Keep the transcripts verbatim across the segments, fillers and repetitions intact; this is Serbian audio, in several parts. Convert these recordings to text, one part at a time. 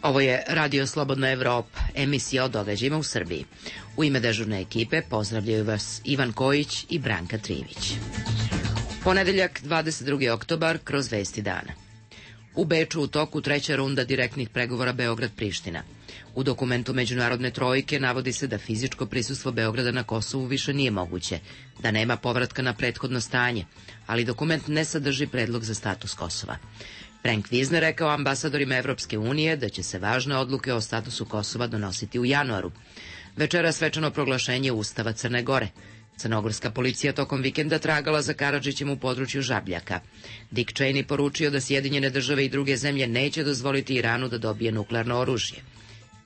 Ovo je Radio Slobodna Evropa, emisija o događajima u Srbiji. U ime dežurne ekipe pozdravljaju vas Ivan Kojić i Branka Trivić. Ponedeljak, dvadeset drugi oktobar, kroz vesti dana. U Beču u toku treća runda direktnih pregovora Beograd-Priština. U dokumentu Međunarodne trojke navodi se da fizičko prisustvo Beograda na Kosovu više nije moguće, da nema povratka na prethodno stanje, ali dokument ne sadrži predlog za status Kosova. Frank Vizner rekao ambasadorima Evropske unije da će se važne odluke o statusu Kosova donositi u januaru. Večera svečano proglašenje Ustava Crne Gore. Crnogorska policija tokom vikenda tragala za Karadžićem u području Žabljaka. Dick Cheney poručio da Sjedinjene države i druge zemlje neće dozvoliti Iranu da dobije nuklearno oružje.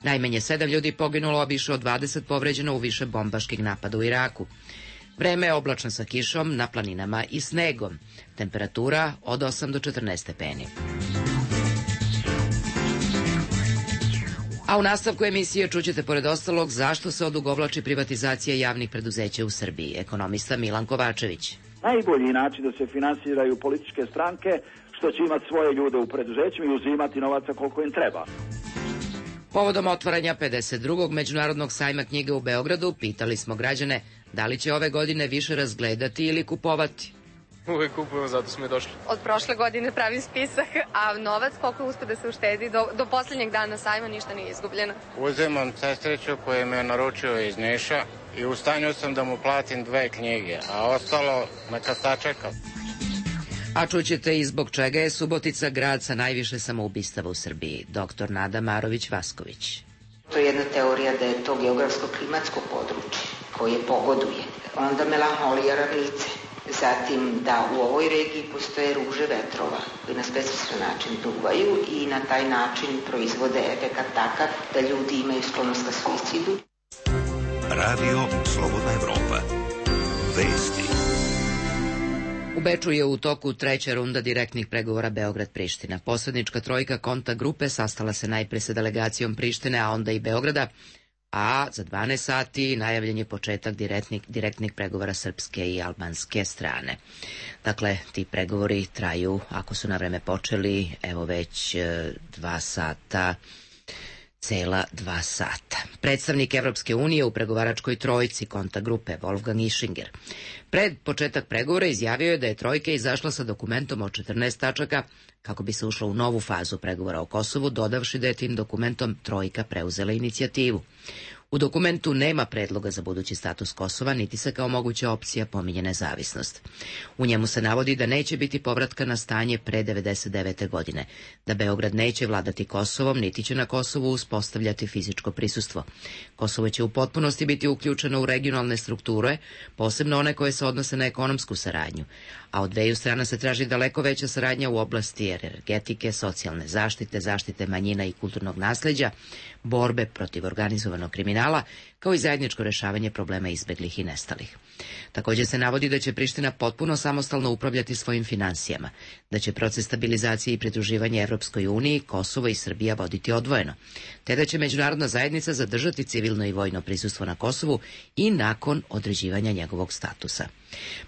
Najmanje sedam ljudi poginulo, a više od dvadeset povređeno u više bombaških napada u Iraku. Vreme je oblačno sa kišom, na planinama i snegom. Temperatura od osam do četrnaest stepeni. A u nastavku emisije čućete pored ostalog zašto se odugovlači privatizacija javnih preduzeća u Srbiji. Ekonomista Milan Kovačević. Najbolji način da se finansiraju političke stranke što će imati svoje ljude u preduzećima i uzimati novaca koliko im treba. Povodom otvaranja pedeset drugog Međunarodnog sajma knjige u Beogradu pitali smo građane da li će ove godine više razgledati ili kupovati. Uvek kupujemo, zato smo i došli. Od prošle godine pravim spisak, a novac koliko uspe da se uštedi, do, do poslednjeg dana sajma ništa nije izgubljeno. Uzimam sestriću koju me je naručio iz Niša i u stanju sam da mu platim dve knjige, a ostalo neka sačeka. A čućete i zbog čega je Subotica grad sa najviše samoubistava u Srbiji. Doktor Nada Marović-Vasković. To je jedna teorija da je to geografsko-klimatsko područje koje pogoduje. Onda melanholija ravnice. Zatim da u ovoj regiji postoje ruže vetrova koji na specifičan način duvaju i na taj način proizvode efekat takav da ljudi imaju sklonost ka suicidu. Radio Slobodna Evropa. Vesti. U Beču je u toku treća runda direktnih pregovora Beograd-Priština. Posrednička trojka Konta grupe sastala se najpre sa delegacijom Prištine, a onda i Beograda, a za dvanaest sati najavljen je početak direktnih, direktnih pregovora srpske i albanske strane. Dakle, ti pregovori traju, ako su na vreme počeli, evo već e, dva sata, cela dva sata. Predstavnik Evropske unije u pregovaračkoj trojci Konta grupe Wolfgang Ischinger pred početak pregovora izjavio je da je trojka izašla sa dokumentom od četrnaest tačaka kako bi se ušlo u novu fazu pregovora o Kosovu, dodavši da je tim dokumentom trojka preuzela inicijativu. U dokumentu nema predloga za budući status Kosova, niti se kao moguća opcija pominje nezavisnost. U njemu se navodi da neće biti povratka na stanje pre devedeset devete godine, da Beograd neće vladati Kosovom, niti će na Kosovu uspostavljati fizičko prisustvo. Kosovo će u potpunosti biti uključeno u regionalne strukture, posebno one koje se odnose na ekonomsku saradnju, a od dveju strana se traži daleko veća saradnja u oblasti energetike, socijalne zaštite, zaštite manjina i kulturnog nasleđa, borbe protiv organizovanog kriminala, kao i zajedničko rešavanje problema izbeglih i nestalih. Također se navodi da će Priština potpuno samostalno upravljati svojim finansijama, da će proces stabilizacije i pridruživanja Evropskoj uniji Kosovo i Srbija voditi odvojeno, te da će međunarodna zajednica zadržati civilno i vojno prisustvo na Kosovu i nakon određivanja njegovog statusa.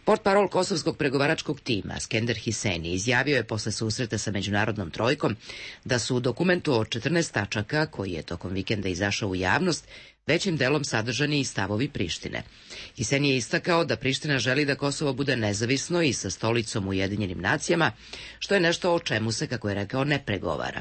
Portparol kosovskog pregovaračkog tima Skender Hiseni izjavio je posle susreta sa međunarodnom trojkom da su u dokumentu od četrnaest tačaka, koji je tokom vikenda izašao u javnost, većim delom sadržani i stavovi Prištine. Hiseni je istakao da Priština želi da Kosovo bude nezavisno i sa stolicom u Ujedinjenim nacijama, što je nešto o čemu se, kako je rekao, ne pregovara.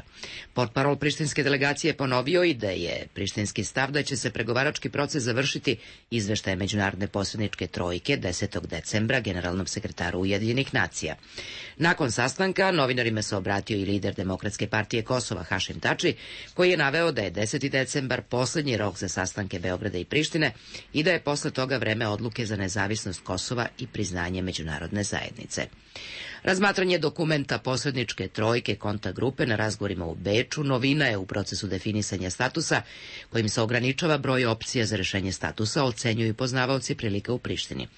Portparol prištinske delegacije ponovio i da je prištinski stav da će se pregovarački proces završiti izveštaje međunarodne posredničke trojke desetog decembra generalnom sekretaru Ujedinjenih nacija. Nakon sastanka novinarima se obratio i lider Demokratske partije Kosova Hašim Tači, koji je naveo da je deseti decembar poslednji rok za sastanke Beograda i Prištine i da je posle toga vreme odluke za nezavisnost Kosova i priznanje međunarodne zajednice. Razmatranje dokumenta posredničke trojke Konta grupe na razgovorima u Beču novina je u procesu definisanja statusa, kojim se ograničava broj opcija za rešenje statusa, ocenjuju poznavaoci prilika u Prištini.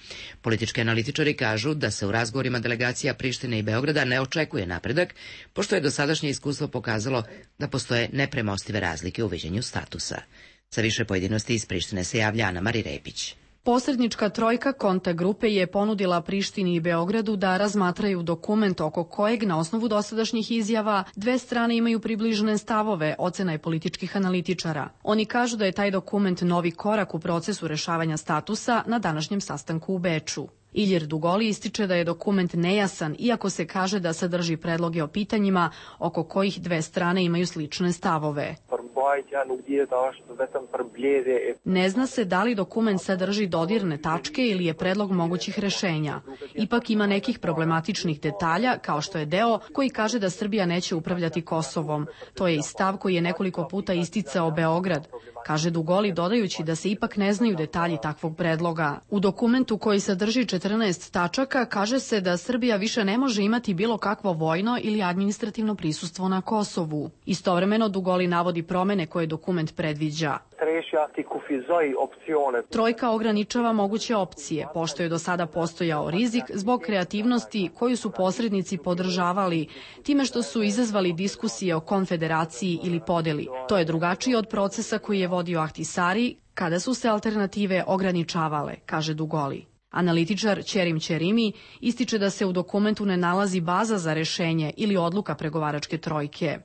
Politički analitičari kažu da se u razgovorima delegacija Prištine i Beograda ne očekuje napredak, pošto je dosadašnje iskustvo pokazalo da postoje nepremostive razlike u viđenju statusa. Sa više pojedinosti iz Prištine se javlja Ana Mari Repić. Posrednička trojka Konta grupe je ponudila Prištini i Beogradu da razmatraju dokument oko kojeg na osnovu dosadašnjih izjava dve strane imaju približene stavove, ocena je političkih analitičara. Oni kažu da je taj dokument novi korak u procesu rešavanja statusa na današnjem sastanku u Beču. Ilir Dugoli ističe da je dokument nejasan, iako se kaže da sadrži predloge o pitanjima oko kojih dve strane imaju slične stavove. Ne zna se da li dokument sadrži dodirne tačke ili je predlog mogućih rešenja. Ipak ima nekih problematičnih detalja, kao što je deo koji kaže da Srbija neće upravljati Kosovom. To je i stav koji je nekoliko puta isticao Beograd, kaže Dugoli, dodajući da se ipak ne znaju detalji takvog predloga. U dokumentu koji sadrži četrnaest tačaka kaže se da Srbija više ne može imati bilo kakvo vojno ili administrativno prisustvo na Kosovu. Istovremeno Dugoli navodi promene koje dokument predviđa. Trojka ograničava moguće opcije, pošto je do sada postojao rizik zbog kreativnosti koju su posrednici podržavali, time što su izazvali diskusije o konfederaciji ili podeli. To je drugačije od procesa koji je vodio Ahtisari, kada su se alternative ograničavale, kaže Dugoli. Analitičar Ćerim Ćerimi ističe da se u dokumentu ne nalazi baza za rešenje ili odluka pregovaračke trojke.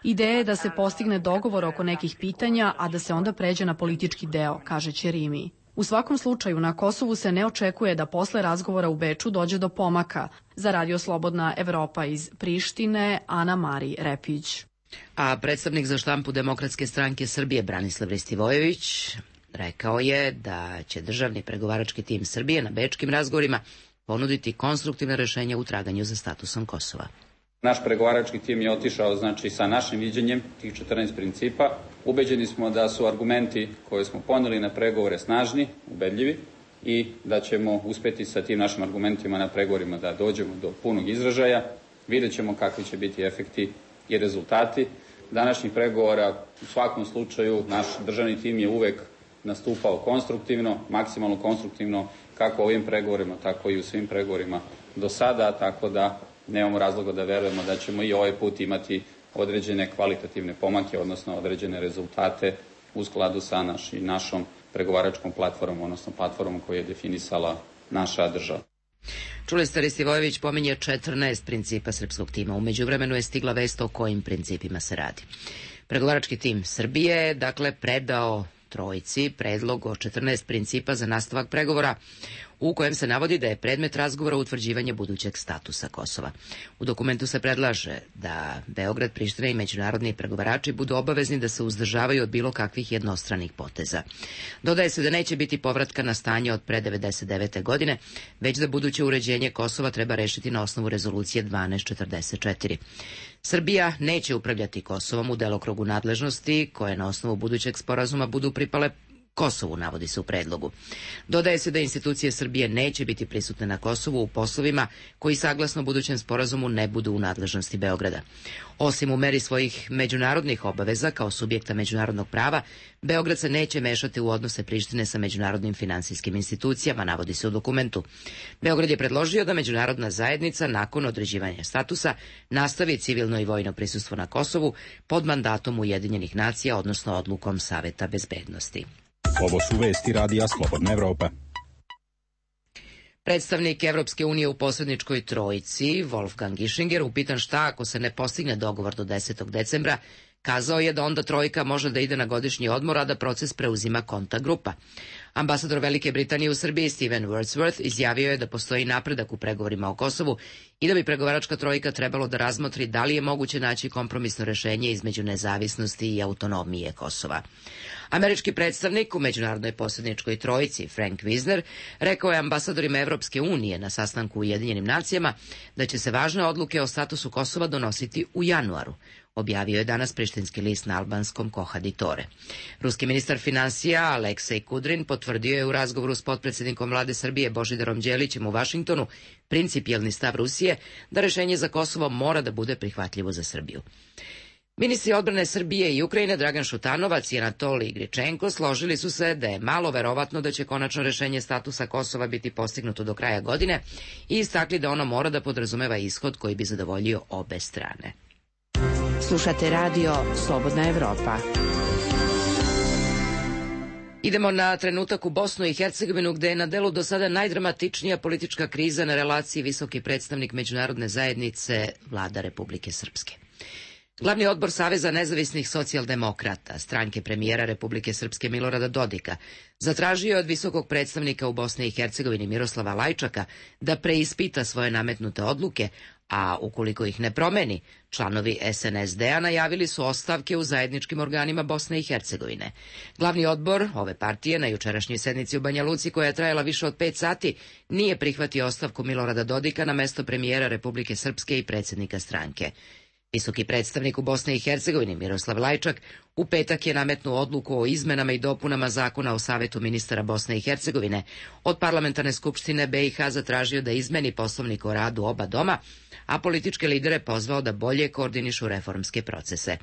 Ideja je da se postigne dogovor oko nekih pitanja, a da se onda pređe na politički deo, kaže Ćerimi. U svakom slučaju na Kosovu se ne očekuje da posle razgovora u Beču dođe do pomaka. Za Radio Slobodna Evropa iz Prištine, Ana Mari Repić. A predstavnik za štampu Demokratske stranke Srbije Branislav Ristivojević rekao je da će državni pregovarački tim Srbije na bečkim razgovorima ponuditi konstruktivne rešenja u traganju za statusom Kosova. Naš pregovarački tim je otišao znači sa našim viđenjem tih četrnaest principa. Ubeđeni smo da su argumenti koje smo poneli na pregovore snažni, ubedljivi i da ćemo uspeti sa tim našim argumentima na pregovorima da dođemo do punog izražaja. Vidjet ćemo kakvi će biti efekti i rezultati današnjih pregovora. U svakom slučaju naš državni tim je uvek nastupao konstruktivno, maksimalno konstruktivno, kako u ovim pregovorima, tako i u svim pregovorima do sada, tako da nemamo razloga da verujemo da ćemo i ovaj put imati određene kvalitativne pomake, odnosno određene rezultate u skladu sa naš, našom pregovaračkom platformom, odnosno platformom koju je definisala naša država. Čuli ste, Ristivojević pominje četrnaest principa srpskog tima. U međuvremenu je stigla vest o kojim principima se radi. Pregovarački tim Srbije je, dakle, predao trojici predlog o četrnaest principa za nastavak pregovora, u kojem se navodi da je predmet razgovora utvrđivanje budućeg statusa Kosova. U dokumentu se predlaže da Beograd, Priština i međunarodni pregovarači budu obavezni da se uzdržavaju od bilo kakvih jednostranih poteza. Dodaje se da neće biti povratka na stanje od pre devedeset devete. godine, već da buduće uređenje Kosova treba rešiti na osnovu rezolucije dvanaest četrdeset četiri. Srbija neće upravljati Kosovom u delokrugu nadležnosti koje na osnovu budućeg sporazuma budu pripale Kosovu, navodi se u predlogu. Dodaje se da institucije Srbije neće biti prisutne na Kosovu u poslovima koji saglasno budućem sporazumu ne budu u nadležnosti Beograda. Osim u meri svojih međunarodnih obaveza kao subjekta međunarodnog prava, Beograd se neće mešati u odnose Prištine sa međunarodnim finansijskim institucijama, navodi se u dokumentu. Beograd je predložio da međunarodna zajednica nakon određivanja statusa nastavi civilno i vojno prisustvo na Kosovu pod mandatom Ujedinjenih nacija, odnosno odlukom Saveta bezbednosti. Ovo su vesti Radija Slobodna Evropa. Predstavnik Evropske unije u posredničkoj trojici, Wolfgang Ischinger, upitan šta ako se ne postigne dogovor do desetog decembra, kazao je da onda trojka može da ide na godišnji odmor, a da proces preuzima Konta grupa. Ambasador Velike Britanije u Srbiji Steven Wordsworth izjavio je da postoji napredak u pregovorima o Kosovu i da bi pregovaračka trojka trebalo da razmotri da li je moguće naći kompromisno rešenje između nezavisnosti i autonomije Kosova. Američki predstavnik u međunarodnoj posredničkoj trojici Frank Wisner rekao je ambasadorima Evropske unije na sastanku u Ujedinjenim nacijama da će se važne odluke o statusu Kosova donositi u januaru. Objavio je danas prištinski list na albanskom Kohaditore. Ruski ministar finansija Aleksej Kudrin potvrdio je u razgovoru s potpredsjednikom vlade Srbije Božidarom Đelićem u Vašingtonu principijelni stav Rusije da rešenje za Kosovo mora da bude prihvatljivo za Srbiju. Ministri odbrane Srbije i Ukrajine Dragan Šutanovac i Anatolij Gričenko složili su se da je malo verovatno da će konačno rešenje statusa Kosova biti postignuto do kraja godine i istakli da ono mora da podrazumeva ishod koji bi zadovoljio obe strane. Slušate radio Slobodna Evropa. Idemo na trenutak u Bosnu i Hercegovinu, gde je na delu do sada najdramatičnija politička kriza na relaciji visoki predstavnik međunarodne zajednice vlada Republike Srpske. Glavni odbor Saveza nezavisnih socijaldemokrata, stranke premijera Republike Srpske Milorada Dodika, zatražio je od visokog predstavnika u Bosni i Hercegovini Miroslava Lajčaka da preispita svoje nametnute odluke, a ukoliko ih ne promeni, članovi S N S D-a najavili su ostavke u zajedničkim organima Bosne i Hercegovine. Glavni odbor ove partije na jučerašnjoj sednici u Banja Luci, koja je trajala više od pet sati, nije prihvatio ostavku Milorada Dodika na mesto premijera Republike Srpske i predsjednika stranke. Visoki predstavnik u Bosni i Hercegovini Miroslav Lajčak u petak je nametnuo odluku o izmenama i dopunama zakona o Savetu ministara Bosne i Hercegovine. Od parlamentarne skupštine B i H zatražio da izmeni poslovnik o radu oba doma, a političke lidere pozvao da bolje koordinišu reformske procese.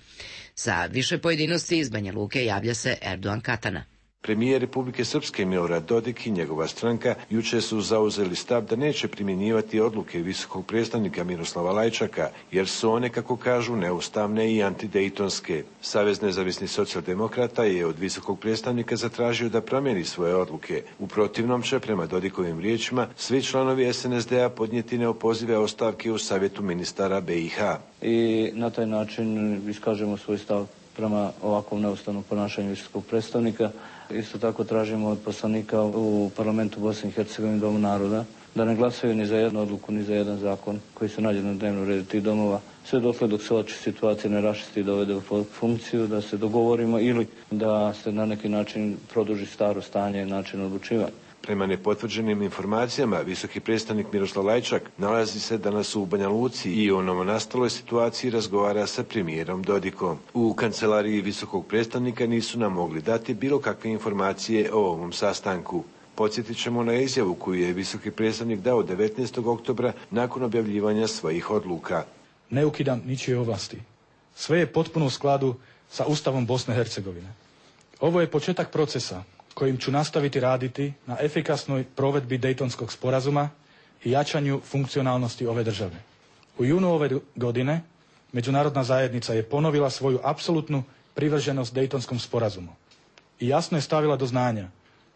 Sa više pojedinosti iz Banja Luke javlja se Erdogan Katana. Premijer Republike Srpske Milorad Dodik i njegova stranka juče su zauzeli stav da neće primjenjivati odluke visokog predstavnika Miroslava Lajčaka, jer su one, kako kažu, neustavne i antidejtonske. Savez nezavisnih socijaldemokrata je od visokog predstavnika zatražio da promijeni svoje odluke. U protivnom će, prema Dodikovim riječima, svi članovi S N S D-a podnijeti neopozive ostavke u Savjetu ministara B i H. I na taj način iskažemo svoj stav prema ovakvom neustavnom ponašanju visokog predstavnika. Isto tako tražimo od poslanika u parlamentu Bosne i Hercegovine, Domu naroda, da ne glasaju ni za jednu odluku, ni za jedan zakon koji se nađe na dnevnom redu tih domova, sve dotle dok se oči situacije ne raščisti i dovede u funkciju, da se dogovorimo ili da se na neki način produži staro stanje i način odlučivanja. Prema nepotvrđenim informacijama, visoki predstavnik Miroslav Lajčak nalazi se danas u Banja Luci i o novonastaloj situaciji razgovara sa premijerom Dodikom. U kancelariji visokog predstavnika nisu nam mogli dati bilo kakve informacije o ovom sastanku. Podsjetit ćemo na izjavu koju je visoki predstavnik dao devetnaestog oktobra nakon objavljivanja svojih odluka. Ne ukidam ničije ovlasti. Sve je potpuno u skladu sa Ustavom Bosne i Hercegovine. Ovo je početak procesa kojim ću nastaviti raditi na efikasnoj provedbi Dejtonskog sporazuma i jačanju funkcionalnosti ove države. U junu ove godine međunarodna zajednica je ponovila svoju apsolutnu privrženost Dejtonskom sporazumu i jasno je stavila do znanja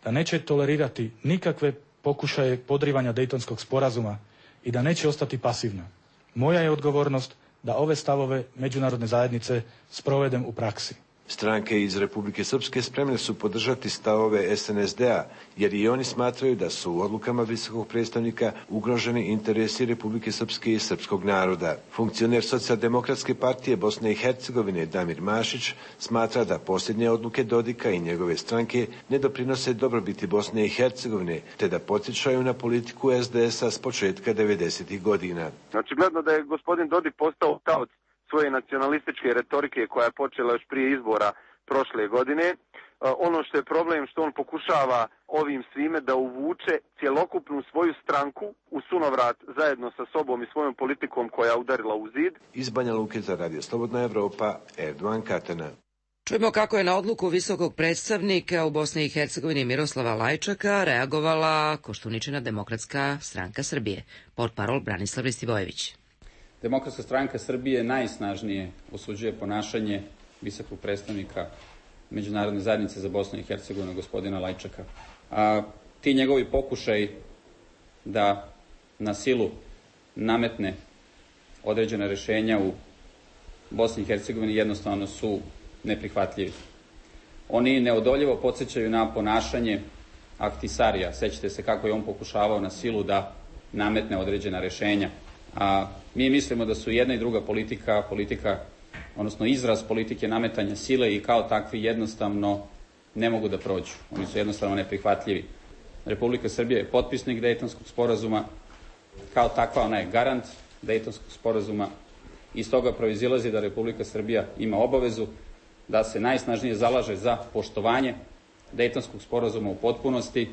da neće tolerirati nikakve pokušaje podrivanja Dejtonskog sporazuma i da neće ostati pasivna. Moja je odgovornost da ove stavove međunarodne zajednice sprovedem u praksi. Stranke iz Republike Srpske spremne su podržati stavove S N S D-a, jer i oni smatraju da su u odlukama visokog predstavnika ugroženi interesi Republike Srpske i srpskog naroda. Funkcioner Socijaldemokratske partije Bosne i Hercegovine Damir Mašić smatra da posljednje odluke Dodika i njegove stranke ne doprinose dobrobiti Bosne i Hercegovine, te da podsjećaju na politiku S D S-a s početka devedesetih godina. Očigledno da je gospodin Dodik postao taoc svoje nacionalističke retorike koja je počela još prije izbora prošle godine. Ono što je problem što on pokušava ovim svime da uvuče cjelokupnu svoju stranku u sunovrat zajedno sa sobom i svojom politikom koja je udarila u zid. Iz Banja Luke za Radio Slobodna Evropa, Erdogan Katana. Čujemo kako je na odluku visokog predstavnika u Bosni i Hercegovini Miroslava Lajčaka reagovala Koštuničina Demokratska stranka Srbije. Portparol Branislav Ristivojević. Demokratska stranka Srbije najsnažnije osuđuje ponašanje visokog predstavnika Međunarodne zajednice za Bosnu i Hercegovinu, gospodina Lajčaka. A ti njegovi pokušaj da na silu nametne određena rešenja u Bosni i Hercegovini jednostavno su neprihvatljivi. Oni neodoljivo podsjećaju na ponašanje Ahtisarija. Sećate se kako je on pokušavao na silu da nametne određena rešenja. A mi mislimo da su jedna i druga politika, politika, odnosno izraz politike nametanja sile i kao takvi jednostavno ne mogu da prođu. Oni su jednostavno neprihvatljivi. Republika Srbija je potpisnik Dejtonskog sporazuma, kao takva ona je garant Dejtonskog sporazuma i iz toga proizilazi da Republika Srbija ima obavezu da se najsnažnije zalaže za poštovanje Dejtonskog sporazuma u potpunosti.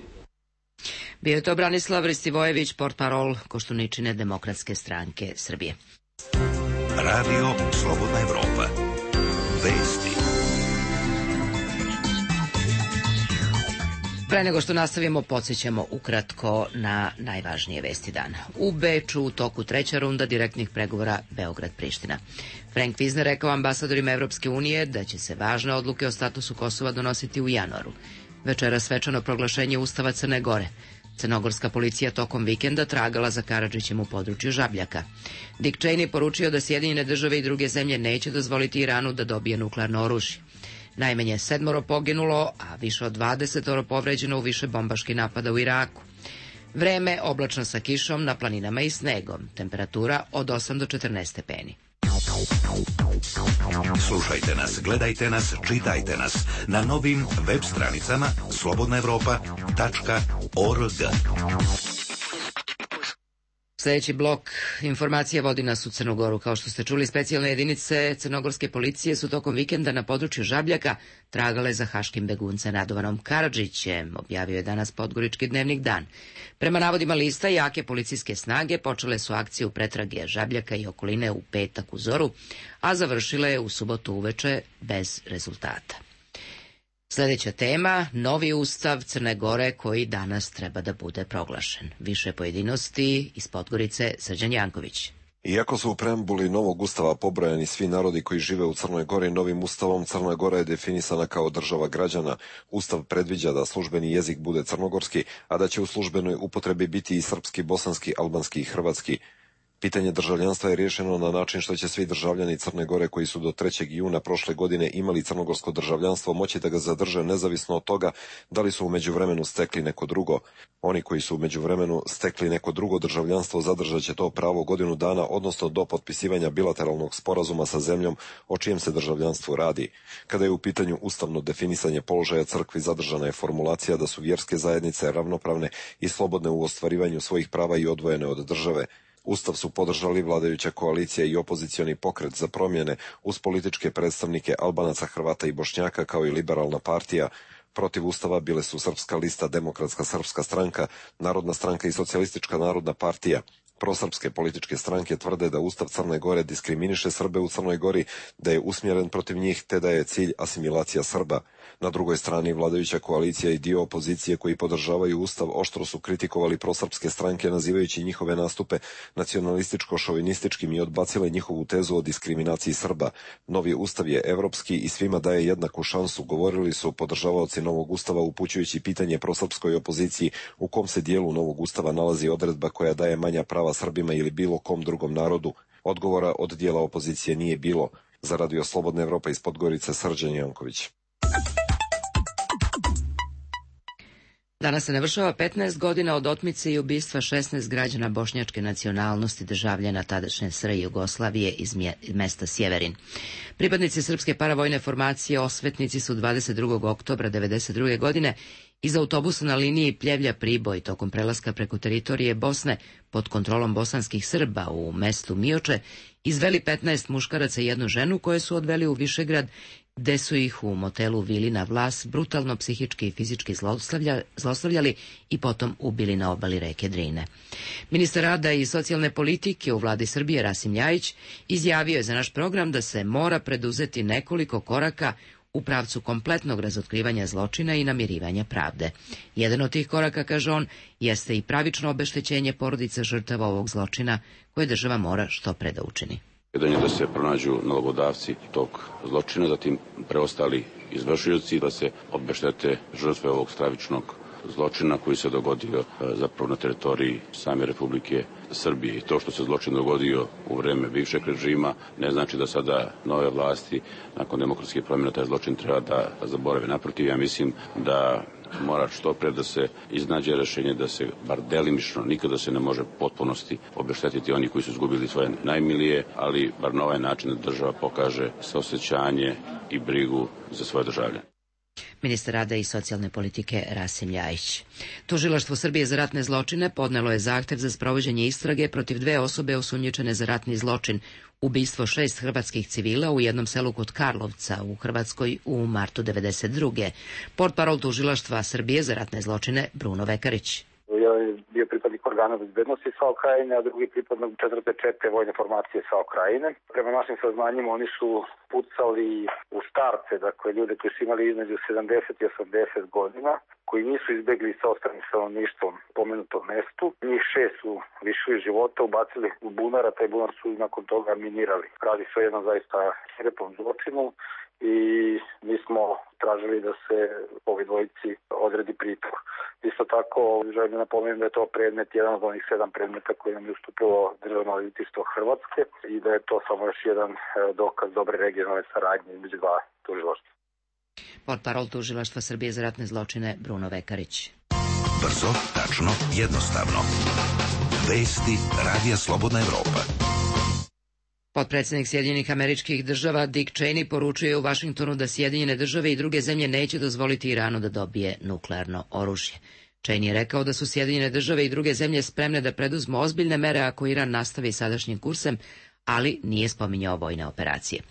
Bio je to Branislav Ristivojević, portparol Koštuničine Demokratske stranke Srbije. Radio Slobodna Evropa. Vesti. Pre nego što nastavimo, podsjećamo ukratko na najvažnije vesti dana. U Beču u toku treća runda direktnih pregovora Beograd-Priština. Frank Vizner rekao ambasadorima Evropske unije da će se važne odluke o statusu Kosova donositi u januaru. Večera svečano proglašenje Ustava Crne Gore. Crnogorska policija tokom vikenda tragala za Karadžićem u području Žabljaka. Dick Cheney poručio da Sjedinjene države i druge zemlje neće dozvoliti Iranu da dobije nuklearno oružje. Najmanje sedmoro poginulo, a više od dvadesetoro povređeno u više bombaških napada u Iraku. Vreme oblačno sa kišom na planinama i snegom. Temperatura od osam do četrnaest stepeni. Slušajte nas, gledajte nas, čitajte nas na novim web stranicama slobodna evropa tačka org. Sljedeći blok informacija vodi nas u Crnu Goru. Kao što ste čuli, specijalne jedinice crnogorske policije su tokom vikenda na području Žabljaka tragale za haškim beguncem Radovanom Karadžićem, objavio je danas Podgorički dnevnik Dan. Prema navodima lista, jake policijske snage počele su akciju pretrage Žabljaka i okoline u petak u zoru, a završile je u subotu uveče bez rezultata. Sljedeća tema, novi ustav Crne Gore koji danas treba da bude proglašen. Više pojedinosti iz Podgorice, Srđan Janković. Iako su u preambuli novog ustava pobrojani svi narodi koji žive u Crnoj Gori, novim ustavom Crna Gora je definisana kao država građana. Ustav predviđa da službeni jezik bude crnogorski, a da će u službenoj upotrebi biti i srpski, bosanski, albanski i hrvatski. Pitanje državljanstva je riješeno na način što će svi državljani Crne Gore koji su do trećeg juna prošle godine imali crnogorsko državljanstvo moći da ga zadrže nezavisno od toga da li su u međuvremenu stekli neko drugo. Oni koji su u međuvremenu stekli neko drugo državljanstvo zadržat će to pravo godinu dana, odnosno do potpisivanja bilateralnog sporazuma sa zemljom o čijem se državljanstvu radi. Kada je u pitanju ustavno definisanje položaja crkvi, zadržana je formulacija da su vjerske zajednice ravnopravne i slobodne u ostvarivanju svojih prava i odvojene od države. Ustav su podržali vladajuća koalicija i opozicioni pokret za promjene uz političke predstavnike Albanaca, Hrvata i Bošnjaka kao i liberalna partija. Protiv ustava bile su Srpska lista, Demokratska srpska stranka, Narodna stranka i Socijalistička narodna partija. Prosrpske političke stranke tvrde da Ustav Crne Gore diskriminiše Srbe u Crnoj Gori, da je usmjeren protiv njih te da je cilj asimilacija Srba. Na drugoj strani vladajuća koalicija i dio opozicije koji podržavaju Ustav oštro su kritikovali prosrpske stranke nazivajući njihove nastupe nacionalističko-šovinističkim i odbacile njihovu tezu o diskriminaciji Srba. Novi Ustav je evropski i svima daje jednaku šansu, govorili su podržavaoci novog Ustava upućujući pitanje prosrpskoj opoziciji u kom se dijelu novog Ustava nalazi odredba koja daje manja prava Srbima ili bilo kom drugom narodu. Odgovora od dijela opozicije nije bilo. Za Radio Slobodna Evropa iz Podgorice, Srđan Janković. Danas se navršava petnaest godina od otmice i ubistva šesnaest građana bošnjačke nacionalnosti, državljana tadašnje S R J Jugoslavije iz mesta Sjeverin. Pripadnici srpske paravojne formacije Osvetnici su dvadeset drugog oktobra devedeset druge godine iz autobusa na liniji Pljevlja-Priboj tokom prelaska preko teritorije Bosne pod kontrolom bosanskih Srba u mestu Mioče izveli petnaest muškaraca i jednu ženu koje su odveli u Višegrad, gde su ih u motelu Vili na Vlas brutalno psihički i fizički zlostavlja, zlostavljali i potom ubili na obali reke Drine. Ministar rada i socijalne politike u vladi Srbije Rasim Ljajić izjavio je za naš program da se mora preduzeti nekoliko koraka u pravcu kompletnog razotkrivanja zločina i namirivanja pravde. Jedan od tih koraka, kaže on, jeste i pravično obeštećenje porodica žrtava ovog zločina koje država mora što pre da učini. Jedan je da se pronađu nalogodavci tog zločina, zatim preostali izvršioci, da se obeštete žrtve ovog stravičnog zločina koji se dogodio zapravo na teritoriji same Republike Srbije. I to što se zločin dogodio u vreme bivšeg režima ne znači da sada nove vlasti nakon demokratske promjene taj zločin treba da zaborave. Naprotiv, ja mislim da mora što pre da se iznađe rešenje da se bar delimično, nikada se ne može potpunosti obeštetiti oni koji su izgubili svoje najmilije, ali bar na ovaj način da država pokaže saosećanje i brigu za svoje državljane. Ministar rada i socijalne politike Rasim Ljajić. Tužilaštvo Srbije za ratne zločine podnelo je zahtev za sprovođenje istrage protiv dve osobe osumnjičene za ratni zločin, ubistvo šest hrvatskih civila u jednom selu kod Karlovca u Hrvatskoj u martu devedeset druge. Portparol tužilaštva Srbije za ratne zločine Bruno Vekarić. Ja je bio pripadnik organa bezbednosti SAO Krajine, a drugi pripadnik četvrte četke vojne formacije SAO Krajine. Prema našim saznanjima oni su pucali u starce, dakle ljude koji su imali između sedamdeset i osamdeset godina, koji nisu izbegli sa ostalim stanovništvom pomenutom mestu. Njih šest su lišili života, ubacili u bunar, a taj bunar su nakon toga minirali. Radi se o jednom zaista svirepom zločinu i mi smo tražili da se ovi dvojici odredi pritvor. Isto tako želim da napomenem da je to predmet, jedan od onih sedam predmeta koji nam je ustupilo Državno odvjetništvo Hrvatske i da je to samo još jedan dokaz dobre regionalne saradnje između dva tužilaštva. Portparol Tužilaštva Srbije za ratne zločine Bruno Vekarić. Brzo, tačno, jednostavno. Vesti Radija Slobodna Evropa. Potpredsednik Sjedinjenih Američkih Država Dick Cheney poručuje u Vašingtonu da Sjedinjene Države i druge zemlje neće dozvoliti Iranu da dobije nuklearno oružje. Cheney je rekao da su Sjedinjene Države i druge zemlje spremne da preduzmu ozbiljne mere ako Iran nastavi sadašnjim kursem, ali nije spominjao vojne operacije.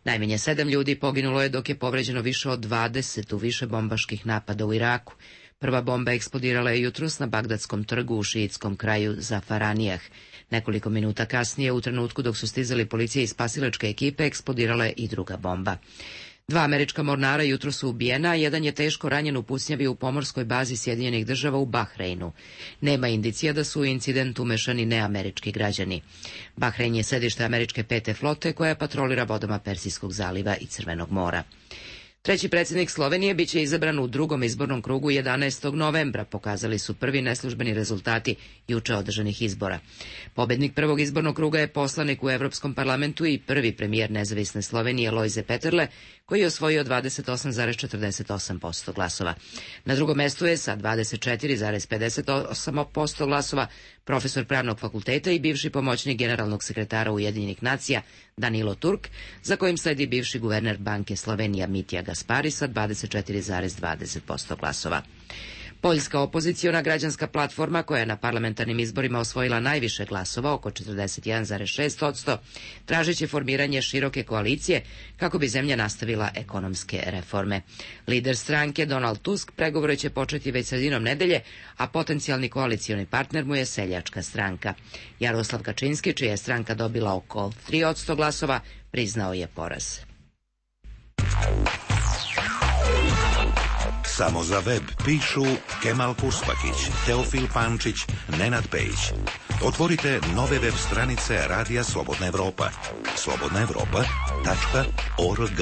Najmanje sedam ljudi poginulo je dok je povređeno više od dvadeset u više bombaških napada u Iraku. Prva bomba eksplodirala je jutros na Bagdadskom trgu u šiitskom kraju Zafaranijah. Nekoliko minuta kasnije, u trenutku dok su stizali policija i spasilačke ekipe, eksplodirala je i druga bomba. Dva američka mornara jutro su ubijena, a jedan je teško ranjen u pucnjavi u pomorskoj bazi Sjedinjenih Država u Bahreinu. Nema indicija da su u incident umešani neamerički građani. Bahrein je sedište američke pete flote koja patrolira vodama Persijskog zaliva i Crvenog mora. Treći predsjednik Slovenije biće izabran u drugom izbornom krugu jedanaestog novembra, pokazali su prvi neslužbeni rezultati juče održanih izbora. Pobednik prvog izbornog kruga je poslanik u Evropskom parlamentu i prvi premijer nezavisne Slovenije Lojze Peterle, koji je osvojio dvadeset osam zarez četrdeset osam posto glasova. Na drugom mestu je sa dvadeset četiri zarez pedeset osam posto glasova profesor pravnog fakulteta i bivši pomoćnik generalnog sekretara Ujedinjenih nacija Danilo Turk, za kojim sledi bivši guverner Banke Slovenija Mitja Gaspari sa dvadeset četiri zarez dvadeset posto glasova. Poljska opoziciona građanska platforma, koja je na parlamentarnim izborima osvojila najviše glasova, oko četrdeset jedan zarez šest posto, tražeći formiranje široke koalicije kako bi zemlja nastavila ekonomske reforme. Lider stranke Donald Tusk pregovore će početi već sredinom nedelje, a potencijalni koalicioni partner mu je Seljačka stranka. Jaroslav Kačinski, čija je stranka dobila oko tri posto glasova, priznao je poraz. Samo za web pišu Kemal Purspakić, Teofil Pančić, Nenad Pejić. Otvorite nove web stranice Radija Slobodna Evropa. slobodna evropa tačka org.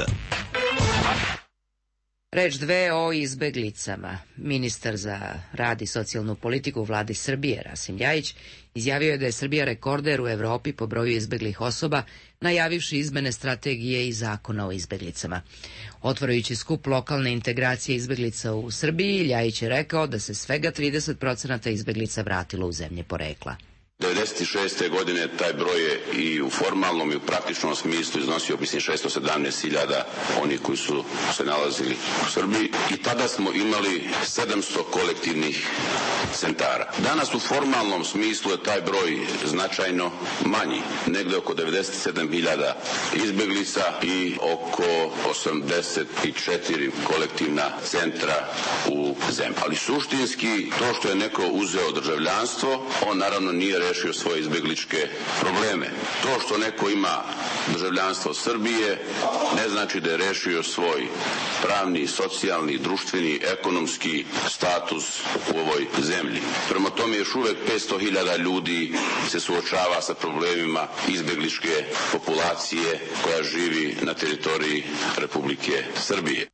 Reč dve o izbeglicama. Ministar za rad i socijalnu politiku u vladi Srbije, Rasim Ljajić, izjavio je da je Srbija rekorder u Evropi po broju izbeglih osoba, najavivši izmene strategije i zakona o izbeglicama. Otvarajući skup lokalne integracije izbeglica u Srbiji, Ljajić je rekao da se svega trideset procenata izbeglica vratilo u zemlje porekla. devedeset šeste. godine taj broj je i u formalnom i u praktičnom smislu iznosio, mislim, šesto sedamnaest hiljada onih koji su se nalazili u Srbiji i tada smo imali sedamsto kolektivnih centara. Danas u formalnom smislu je taj broj značajno manji, negde oko devedeset sedam hiljada izbeglica i oko osamdeset četiri kolektivna centra u zemlji. Ali suštinski, to što je neko uzeo državljanstvo, on naravno nije rešio svoje izbegličke probleme. To što neko ima državljanstvo Srbije ne znači da je rešio svoj pravni, socijalni, društveni, ekonomski status u ovoj zemlji. Prema tome još uvek petsto hiljada ljudi se suočava sa problemima izbegličke populacije koja živi na teritoriji Republike Srbije.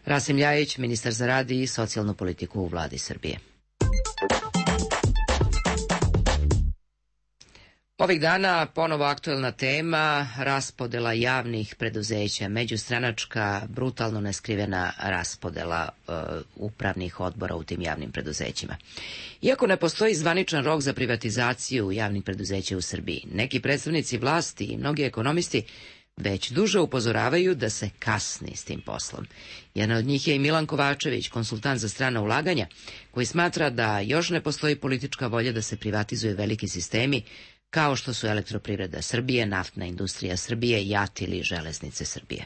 Rasim Ljajić, ministar za rad i socijalnu politiku u vladi Srbije. Ovih dana ponovo aktuelna tema, raspodela javnih preduzeća, međustranačka, brutalno neskrivena raspodela e, upravnih odbora u tim javnim preduzećima. Iako ne postoji zvaničan rok za privatizaciju javnih preduzeća u Srbiji, neki predstavnici vlasti i mnogi ekonomisti već duže upozoravaju da se kasni s tim poslom. Jedan od njih je i Milan Kovačević, konsultant za strana ulaganja, koji smatra da još ne postoji politička volja da se privatizuje veliki sistemi, kao što su Elektroprivreda Srbije, Naftna industrija Srbije, JAT ili Železnice Srbije.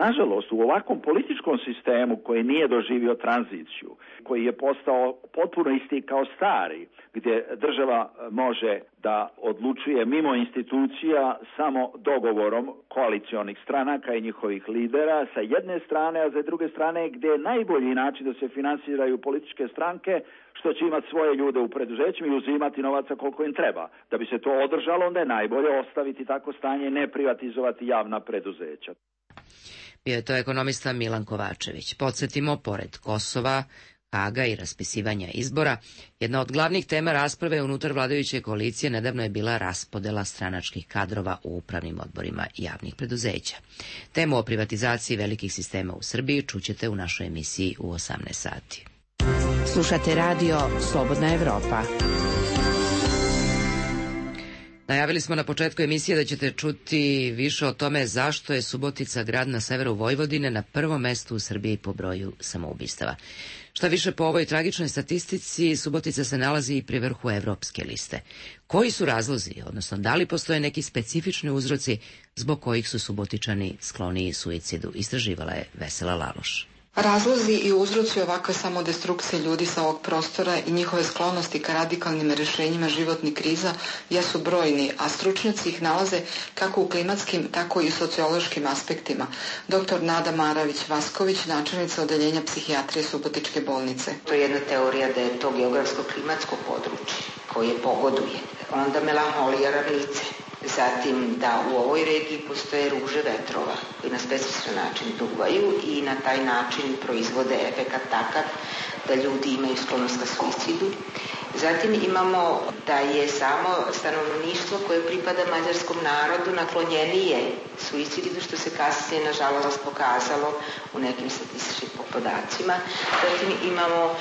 Nažalost, u ovakvom političkom sistemu koji nije doživio tranziciju, koji je postao potpuno isti kao stari, gdje država može da odlučuje mimo institucija samo dogovorom koalicionih stranaka i njihovih lidera sa jedne strane, a za druge strane gdje je najbolji način da se finansiraju političke stranke, što će imati svoje ljude u preduzećima i uzimati novaca koliko im treba. Da bi se to održalo, onda je najbolje ostaviti tako stanje i ne privatizovati javna preduzeća. Bio je to ekonomista Milan Kovačević. Podsjetimo, pored Kosova, Haga i raspisivanja izbora, jedna od glavnih tema rasprave unutar vladajuće koalicije nedavno je bila raspodela stranačkih kadrova u upravnim odborima javnih preduzeća. Temu o privatizaciji velikih sistema u Srbiji čućete u našoj emisiji u osamnaest sati. Slušate radio Slobodna Evropa. Najavili smo na početku emisije da ćete čuti više o tome zašto je Subotica grad na severu Vojvodine na prvom mestu u Srbiji po broju samoubistava. Šta više, po ovoj tragičnoj statistici, Subotica se nalazi i pri vrhu evropske liste. Koji su razlozi, odnosno da li postoje neki specifični uzroci zbog kojih su Subotičani skloniji suicidu, istraživala je Vesela Laloš. Razlozi i uzroci ovakve samodestrukcije ljudi sa ovog prostora i njihove sklonosti ka radikalnim rešenjima životnih kriza jesu brojni, a stručnjaci ih nalaze kako u klimatskim, tako i sociološkim aspektima. Doktor Nada Maravić-Vasković, načelnica odeljenja psihijatrije Subotičke bolnice. To je jedna teorija da je to geografsko-klimatsko područje koje pogoduje. Onda melanholija ravnice. Zatim da u ovoj regiji postoje ruže vetrova koji na specifičan način duvaju i na taj način proizvode efekat takav da ljudi imaju sklonost ka suicidu. Zatim imamo da je samo stanovništvo koje pripada mađarskom narodu naklonjenije suicidu, što se kasnije nažalost pokazalo u nekim statističkim podacima. Zatim imamo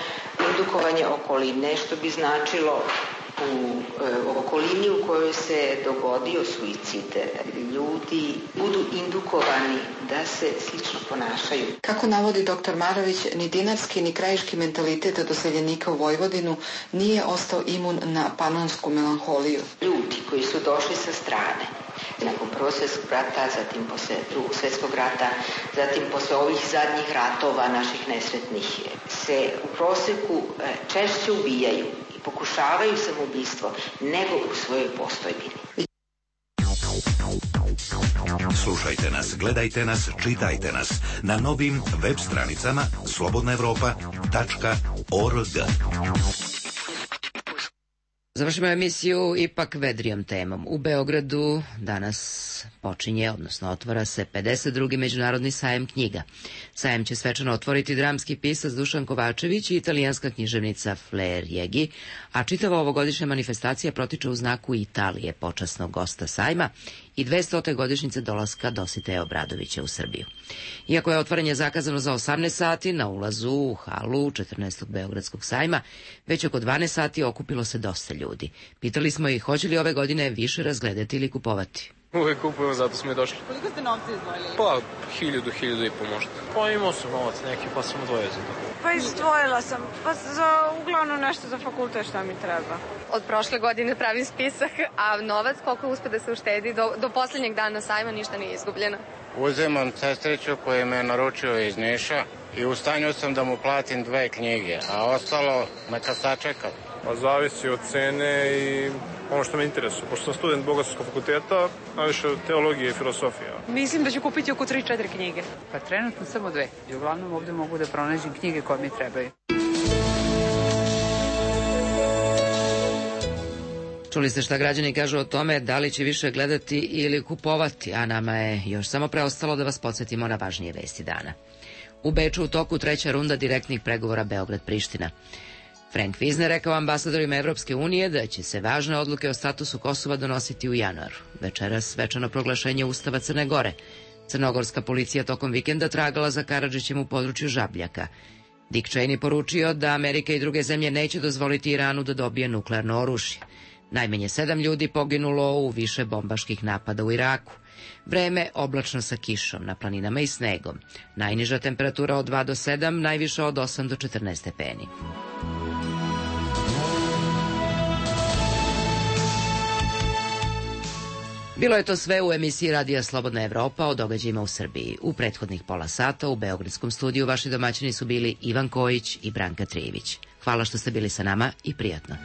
indukovanje okoline, što bi značilo u e, okolini u kojoj se dogodio suicid, ljudi budu indukovani da se slično ponašaju. Kako navodi doktor Marović, ni dinarski ni krajiški mentalitet doseljenika u Vojvodinu nije ostao imun na panonsku melanholiju. Ljudi koji su došli sa strane, nakon Prvog svjetskog rata, zatim posle Drugog svjetskog rata, zatim posle ovih zadnjih ratova naših nesretnih, se u proseku češće ubijaju i pokušavaju samoubistvo nego u svojoj postojbini. Slušajte nas, gledajte nas, čitajte nas na novim web stranicama slobodna evropa tačka org. Završimo emisiju ipak vedrijom temom. U Beogradu danas počinje, odnosno otvara se pedeset drugi međunarodni sajem knjiga. Sajem će svečano otvoriti dramski pisac Dušan Kovačević i italijanska književnica Flair Jegi, a čitava ovogodišnja manifestacija protiče u znaku Italije, počasnog gosta sajma, i dvestote godišnjice dolaska Dositeja Obradovića u Srbiju. Iako je otvaranje zakazano za osamnaest sati, na ulazu u halu četrnaestog Beogradskog sajma, već oko dvanaest sati okupilo se dosta ljudi. Pitali smo ih hoće li ove godine više razgledati ili kupovati. Uvek kupujemo, zato smo i došli. Koliko ste novca izdvojili? Pa, hiljadu, hiljadu i po možda. Pa imao sam novac neki, pa sam odvojio za to. Pa izdvojila sam, pa za uglavnom nešto za fakultet šta mi treba. Od prošle godine pravim spisak, a novac koliko uspe da se uštedi, do, do poslednjeg dana sajma ništa nije izgubljeno. Uzimam sestriću koji me naručio iz Niša i u stanju sam da mu platim dve knjige, a ostalo neka sačeka. Pa zavisi od cene i ono što me interesuje. Pošto sam student Bogoslovskog fakulteta, najviše teologije i filosofija. Mislim da ću kupiti oko tri četiri knjige. Pa trenutno samo dve. I uglavnom ovde mogu da pronađem knjige koje mi trebaju. Čuli ste šta građani kažu o tome da li će više gledati ili kupovati, a nama je još samo preostalo da vas podsjetimo na važnije vesti dana. U Beču u toku treća runda direktnih pregovora Beograd-Priština. Frank Vizner rekao ambasadorima Evropske unije da će se važne odluke o statusu Kosova donositi u januaru. Večeras svečano proglašenje Ustava Crne Gore. Crnogorska policija tokom vikenda tragala za Karadžićem u području Žabljaka. Dick Cheney poručio da Amerika i druge zemlje neće dozvoliti Iranu da dobije nuklearno oružje. Najmanje sedam ljudi poginulo u više bombaških napada u Iraku. Vreme oblačno sa kišom, na planinama i snegom. Najniža temperatura od dva do sedam, najviša od osam do četrnaest stepeni. Bilo je to sve u emisiji Radija Slobodna Evropa o događajima u Srbiji. U prethodnih pola sata u Beogradskom studiju vaši domaćini su bili Ivan Kojić i Branka Trijević. Hvala što ste bili sa nama i prijatno.